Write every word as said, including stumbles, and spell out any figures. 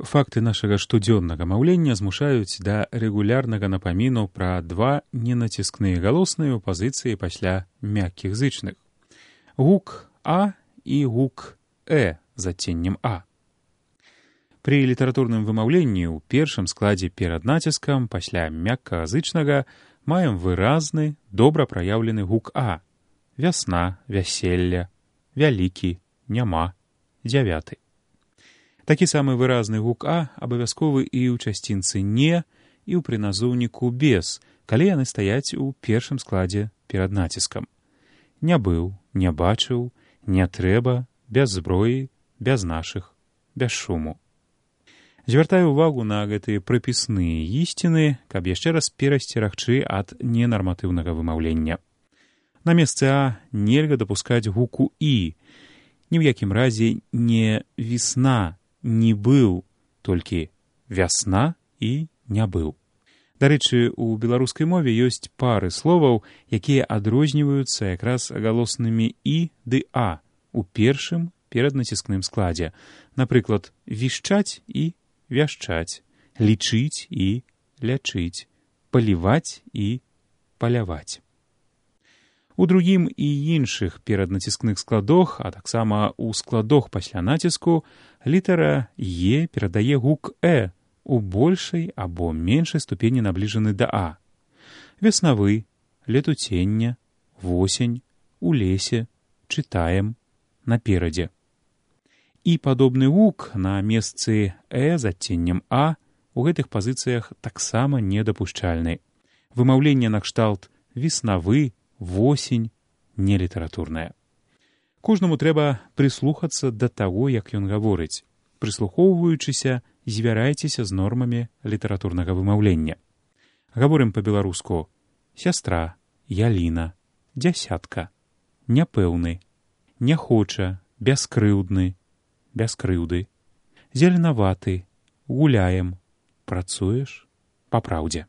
Факты нашага штодзённага маўлення змушаюць да рэгулярнага напаміну пра два ненаціскныя галосныя ў пазіцыі пасля мяккіх зычных. Гук «а» і гук «э» з адценнем «а». Пры літаратурным вымаўленні ў першым складзе перад націскам пасля мяккага зычнага маем выразны, добра праяўлены гук «а». Вясна, вяселля, вялікі, няма, дзявяты. Такі самы выразны гук «а» абавязковы і ў часцінцы «не», і ў прыназоўніку «без», калі яны стаяць у першым складзе перад націскам. Не быў, не бачыў, не трэба, без зброі, без нашых, без шуму. Звяртаю ўвагу на гэтыя прыпісныя ісціны, каб яшчэ раз перасцерагчы ад ненарматыўнага вымаўлення. На месцы «а» нельга дапускаць гуку «і». Ні ў якім разе не «весна», не быў, толькі вясна і не быў. Дарэчы, у беларускай мове ёсць пары словаў, якія адрозніваюцца якраз галоснымі «і» ды «а» у першым пераднаціскным складзе. Напрыклад, вішчаць і вяшчаць, лічыць і лячыць, паліваць і паляваць. У другім і іншых пераднаціскных складах, а таксама ў складах пасля націску, літара «е» перадае гук «э» у большай або меншай ступені набліжаны да «а». Веснавы, летуцення, восень, у лесе, чытаем, наперадзе. І падобны гук на месцы «э» з адценнем «а» у гэтых пазіцыях таксама недапушчальны. Вымаўленне накшталт «веснавы», «восень» нелітаратурная. Кожнаму трэба прыслухацца да таго, як ён гаворыць. Прыслухоўваючыся, звярайцеся з нормамі літаратурнага вымаўлення. Гаворым па-беларуску «сястра», «яліна», «дзясятка», «няпэўны», «не хоча», «бяскрыўдны», «без крыўды», «зеленаваты», «гуляем», «працуеш», «па праўдзе».